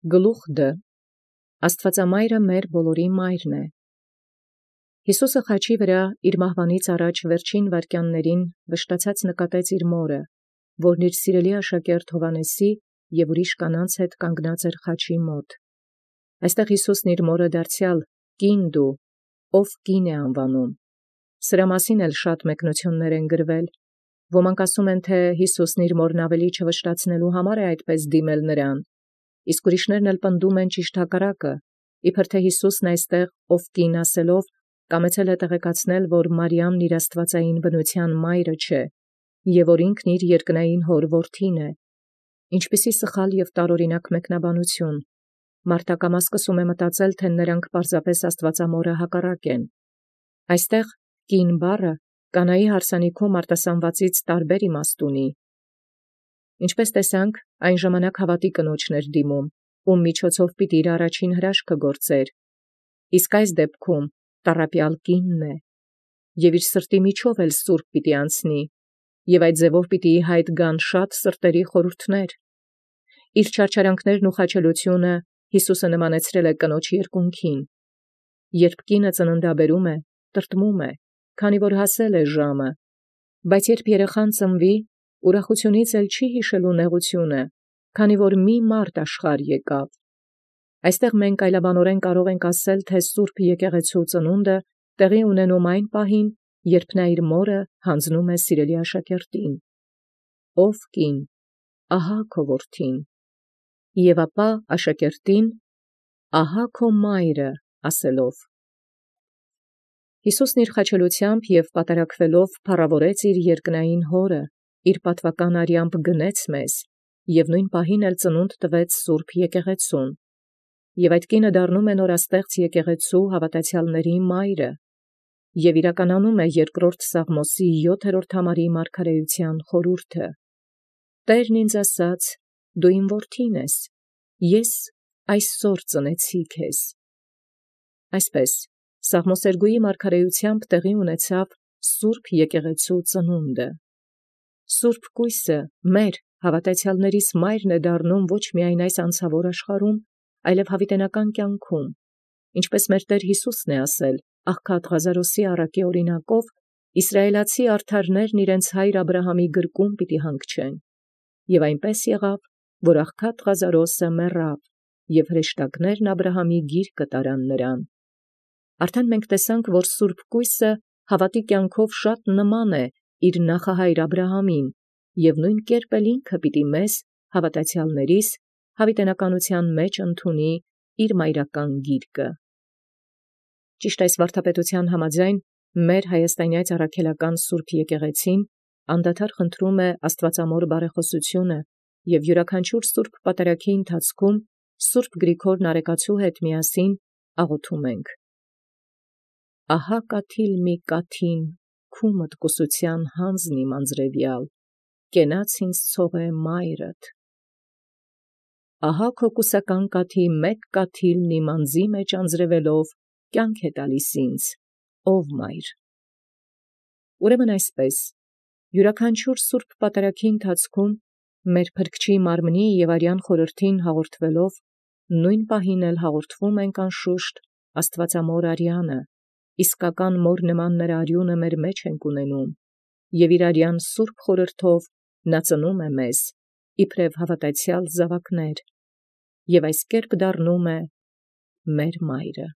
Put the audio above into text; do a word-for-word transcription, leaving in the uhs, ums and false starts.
Գլուխ Դ. Աստուածամայրը մեր բոլորի մայրն է։ Յիսուսը խաչի վրա իր մահվանից առաջ վերջին վայրկյաններին վշտացած նկատեց իր մորը, որն իր սիրելի աշակերտ Հովհաննեսի և ուրիշ կանանց հետ կանգնած էր խաչի մոտ։ Այստեղ Յիսուսն իր մորը դարձեալ կին դու, ով կին է անվանում։ Սրա մասին էլ շատ մեկնություններ են գրվել։ Ոմանք ասում են, թե Յիսուսն իր մորն ավելի չվշտացնելու համար է այդպես դիմել նրան, իսկ ուրիշներն էլ պնդում են ճիշտ հակառակը, իբր թե Յիսուսն այստեղ ով կին ասելով կամեցել է տեղեկացնել, որ Մարիամն իր աստվածային բնության մայրը չէ, և որ ինքն իր երկնային հոր որդին է։ Ինչպիսի սխալ և տարօրինակ մեկնաբանություն։ Մարդակամը սկսում է մտածել, թե նրանք պարզապես աստվածամորը հակառակ են։ Այստեղ կին բառը կանայի հարսանիքում արտասանվածից տարբեր իմաստ ունի։ Ինչպես տեսանք, այն ժամանակ հավատի կնոջն էր դիմում, ում միջոցով պիտի իր առաջին հրաշքը գործեր, իսկ այս դեպքում տառապյալ կինն է, և իր սրտի միջով էլ սուրբ պիտի անցնի, և այդ ձևով պիտի ի հայտ գան շատ սրտերի խորհուրդներ։ Իր չարչարանքներն ու խաչելությունը Յիսուսը նմանեցրել է կնոջ երկունքին։ Երբ կինը ծննդաբերում է, տրտմում է, քանի որ հասել է ժամը, բայց երբ երեխան ծնվի, ուրախությունից էլ չի հիշելու նեղությունը, քանի որ մի մարդ աշխարհ եկավ։ Այստեղ մենք այլաբանորեն կարող ենք ասել, թե Սուրբ Եկեղեցու ծնունդը տեղի ունենում այն պահին, երբ նա իր մորը հանձնում է սիրելի աշակերտին։ Ով կին, ահա քո որդին, և ապա աշակերտին, ահա քո մայրը ասելով։ Յիսուսն իր խաչելությամբ և պատարակվելով փառաւորեց իր երկնային հորը, իր պատվական արյամբ գնեց մեզ, և նույն պահին էլ ծնունդ տվեց Սուրբ Եկեղեցուն, և այդ կինը դառնում է նորաստեղծ եկեղեցու հավատացյալների մայրը, և իրականանում է երկրորդ Սաղմոսի յոթերորդ համարի մարգարեության խորհուրդը. «Տերն ինձ ասաց. դու իմ որդին ես, ես այսօր ծնեցի քեզ»։ Այսպես Սաղմոսերգուի մարգարեությամբ տեղի ունեցավ Սուրբ Եկեղեցու ծնունդը։ Սուրբ կույսը մեր հավատացյալներիս մայրն է դառնում ոչ միայն այս անցավոր աշխարհում, այլև հավիտենական կյանքում, ինչպես մեր Տեր Յիսուսն է ասել աղքատ Ղազարոսի առակի օրինակով, իսրայելացի արդարներն իրենց հայր Աբրահամի գրկում պիտի հանգչեն, և այնպես եղավ, որ աղքատ Ղազարոսը մեռավ, և հրեշտակներն Աբրահամի գիրկը տարան նրան։ Արդեն մենք տեսանք, որ Սուրբ կույսը հավատի կյանքով շատ նման է իր նախահայր Աբրահամին, և նույն կերպ էլ ինքը պիտի մեզ, հավատացյալներիս, հավիտենականության մեջ ընդունի իր մայրական գիրկը։ Ճիշտ այս վարդապետության համաձայն մեր հայաստանյաց առաքելական Սուրբ Եկեղեցին անդադար խնդրում է Աստվածամոր բարեխոսությունը և յուրաքանչյուր սուրբ պատարագի ընթացքում Սուրբ Գրիգոր Նարեկացու հետ միասին աղոթում ենք. «Ահա կաթիլ մի կաթին քու մտկուսության հանձն իմ անձրևյալ, կենաց ինձ ցողէ մայրդ։ Ահա քո կուսական կաթի մեկ կաթիլն իմ անձի մեջ անձրևելով կյանք է տալիս ինձ, ով մայր»։ Ուրեմն այսպես, յուրաքանչյուր սուրբ պատարագի ընթացքում մեր Փրկչի մարմնի և արյան խորհրդին հաղորդվելով, նույն պահին էլ հաղորդվում ենք անշուշտ Աստվածամոր արյանը, իսկական մոր նման նրա արյունը մեր մեջ ենք ունենում, և իր արյան սուրբ խորհրդով նա ծնում է մեզ, իբրև հավատացյալ զավակներ, և այս կերպ դառնում է մեր մայրը։